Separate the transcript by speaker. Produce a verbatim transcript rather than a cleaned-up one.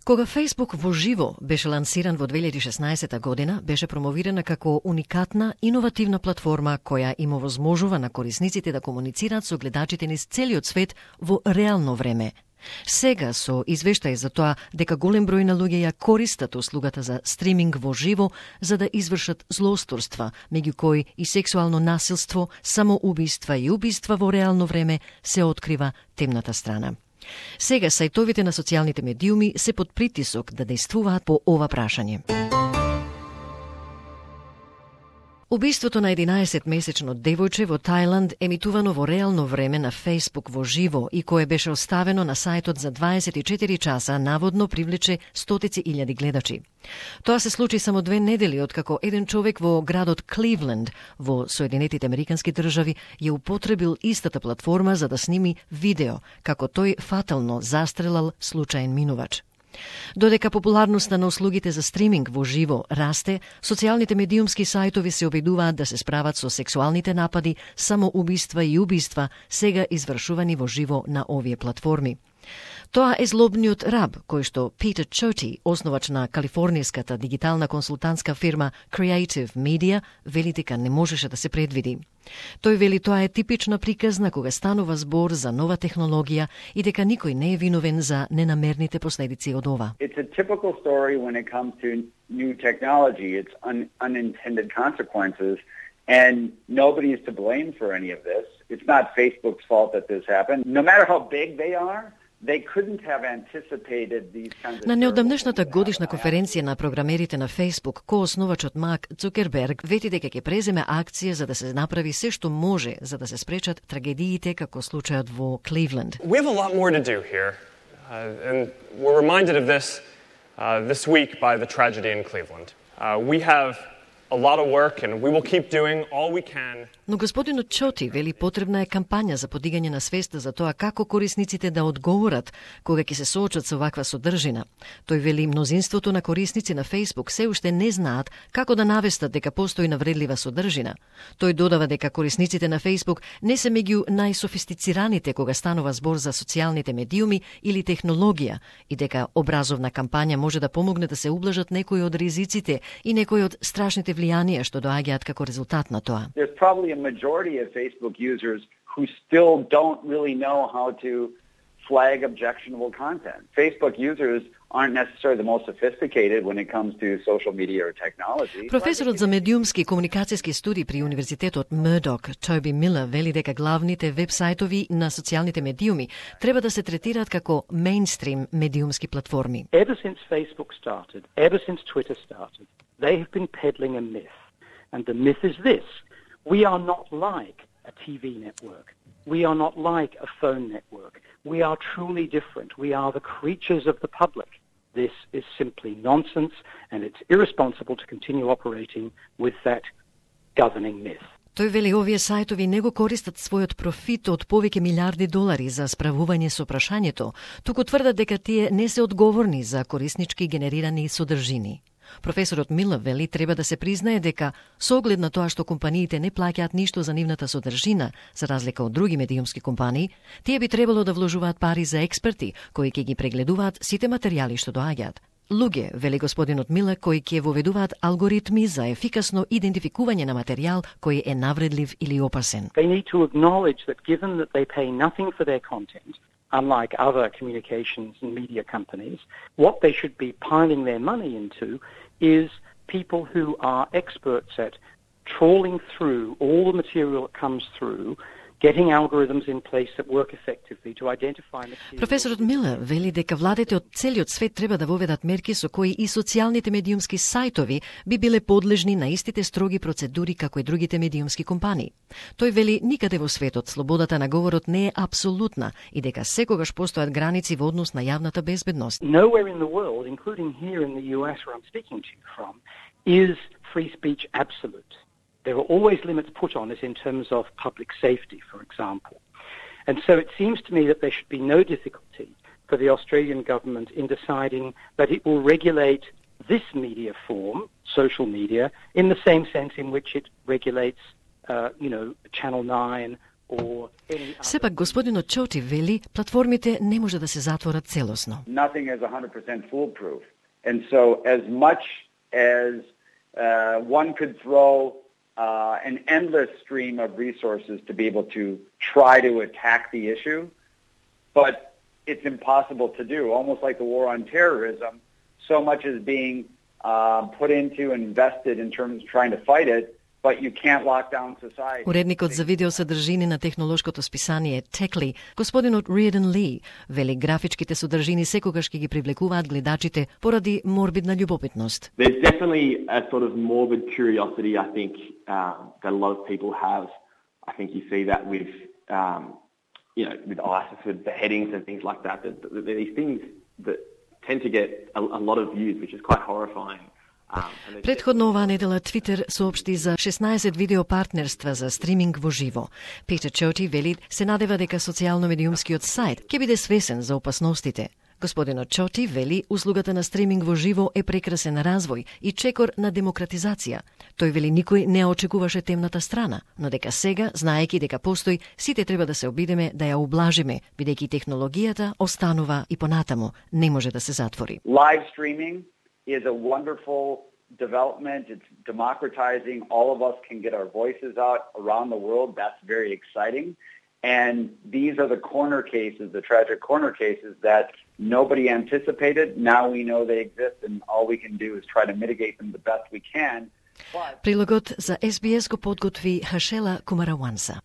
Speaker 1: Кога Facebook во живо беше лансиран во две илјади и шеснаесетта година, беше промовирана како уникатна, иновативна платформа која им овозможува на корисниците да комуницираат со гледачите низ целиот свет во реално време. Сега со извештај за тоа дека голем број на луѓе ја користат услугата за стриминг во живо за да извршат злосторства, меѓу кои и сексуално насилство, самоубиства и убиства во реално време, се открива темната страна. Сега сајтовите на социјалните медиуми се под притисок да действуваат по ова прашање. Убиството на единаесетмесечно девојче во Тајланд, емитувано во реално време на Facebook во живо и кое беше оставено на сајтот за дваесет и четири часа, наводно привлече стотици илјади гледачи. Тоа се случи само две недели откако еден човек во градот Кливленд во Соединетите Американски држави ја употребил истата платформа за да сними видео, како тој фатално застрелал случаен минувач. Додека популарноста на услугите за стриминг во живо расте, социјалните медиумски сајтови се обидуваат да се справат со сексуалните напади, самоубиства и убиства, сега извршувани во живо на овие платформи. Тоа е злобниот раб, кој што Питер Чоти, основач на калифорнијската дигитална консултантска фирма Creative Media, вели дека не можеше да се предвиди. Тој вели тоа е типична приказна кога станува збор за нова технологија и дека никој не е виновен за ненамерните последици од ова.
Speaker 2: It's a typical story when it comes to new technology. It's un- unintended consequences, and nobody is to blame for any of this. It's not Facebook's fault that this happened. No matter how big they are, they couldn't have anticipated these kinds of...
Speaker 1: На неодамнешната годишна конференција на програмерите на Facebook, коосновачот Марк Цукерберг вети дека ќе преземе акција за да се направи се што може за да се спречат трагедиите како случајот во Кливленд.
Speaker 3: We have a lot more to do here, uh, and we're reminded of this uh, this week by the tragedy in Cleveland. Uh, we have a lot of work and we will keep doing all we can.
Speaker 1: Но господинот Чоти вели потребна е кампања за подигање на свеста за тоа како корисниците да одговорат кога ќе се соочат со ваква содржина. Тој вели мнозинството на корисници на Facebook се уште не знаат како да навестат дека постои навредлива содржина. Тој додава дека корисниците на Facebook не се меѓу најсофистицираните кога станува збор за социјалните медиуми или технологија и дека образовна кампања може да помогне да се ублажат некои од ризиците и некои од страшните влијанија што доаѓаат како резултат на тоа.
Speaker 2: There's probably a majority of Facebook users who still don't really know how to flag objectionable content. Facebook users aren't necessarily the most sophisticated when it comes to social media or technology.
Speaker 1: Професорот за медиумски и комуникацијски студии при Универзитетот Мурдок, Тоби Милер, вели дека главните веб-сајтови на социјалните медиуми треба да се третираат како мејнстрим медиумски платформи.
Speaker 4: Ever since Facebook started, ever since Twitter started, they have been peddling a myth. And the myth is this: we are not like a T V network. We are not like a phone network. We are truly different. We are the creatures of the public. This is simply nonsense, and it's irresponsible to continue operating with that governing myth.
Speaker 1: Тој вели овие сајтови не го користат својот профит од повеќе милиарди долари за справување со прашањето, туку тврдат дека тие не се одговорни за кориснички генерирани содржини. Професорот Милер вели треба да се признае дека со оглед на тоа што компаниите не плаќаат ништо за нивната содржина, за разлика од други медиумски компании, тие би требало да вложуваат пари за експерти кои ќе ги прегледуваат сите материјали што доаѓаат. Луѓе, вели господинот Милер, кои ќе воведуваат алгоритми за ефикасно идентификување на материјал кој е навредлив или опасен.
Speaker 4: They need to acknowledge that given that they pay nothing for their content, unlike other communications and media companies, what they should be piling their money into is people who are experts at trawling through all the material that comes through, getting algorithms in place that work effectively to identify material.
Speaker 1: Професорот Милер вели дека владите од целиот свет треба да воведат мерки со кои и социјалните медиумски сајтови би биле подлежни на истите строги процедури како и другите медиумски компании. Тој вели никаде во светот слободата на говорот не е апсолутна и дека секогаш постојат граници во однос на јавната безбедност.
Speaker 4: Nowhere in the world, including here in the U S where I'm speaking to you from, is free speech absolute. There are always limits put on it in terms of public safety, for example. And so it seems to me that there should be no difficulty for the Australian government in deciding that it will regulate this media form, social media, in the same sense in which it regulates, uh, you know, Channel nine or any other...
Speaker 1: Сепак господинот Чоти вели, платформите не може да се затворат целосно.
Speaker 2: Nothing is one hundred percent foolproof. And so as much as uh, one could throw uh, an endless stream of resources to be able to try to attack the issue, but it's impossible to do. Almost like the war on terrorism, so much is being uh, put into and invested in terms of trying to fight it, but you can't lock down society.
Speaker 1: Уредникот за видеосодржини на технолошкото списание Techly, господинот Riordan Lee, вели графичките содржини секогаш ќе ги привлекуваат гледачите поради морбидна љубопитност.
Speaker 5: There's definitely a sort of morbid curiosity, I think, um, that a lot of people have. I think you see that with, um, you know, with ISIS, with beheadings and things like that. That, that these things that tend to get a, a lot of views, which is quite horrifying.
Speaker 1: Претходно оваа недела Твитер соопшти за шеснаесет видео партнерства за стриминг во живо. Петер Чоти вели се надева дека социјално-медиумскиот сајт ќе биде свесен за опасностите. Господинот Чоти вели услугата на стриминг во живо е прекрасен развој и чекор на демократизација. Тој вели никој не очекуваше темната страна, но дека сега, знаеки дека постои, сите треба да се обидеме да ја ублажиме, бидејќи технологијата останува и понатаму, не може да се затвори.
Speaker 2: Live streaming is a wonderful development. It's democratizing. All of us can get our voices out around the world. That's very exciting. And these are the corner cases, the tragic corner cases that nobody anticipated. Now we know they exist, and all we can do is try to mitigate them the best we can. But...
Speaker 1: Прилогот за Ес Би Ес го подготви Хашела Кумараванса.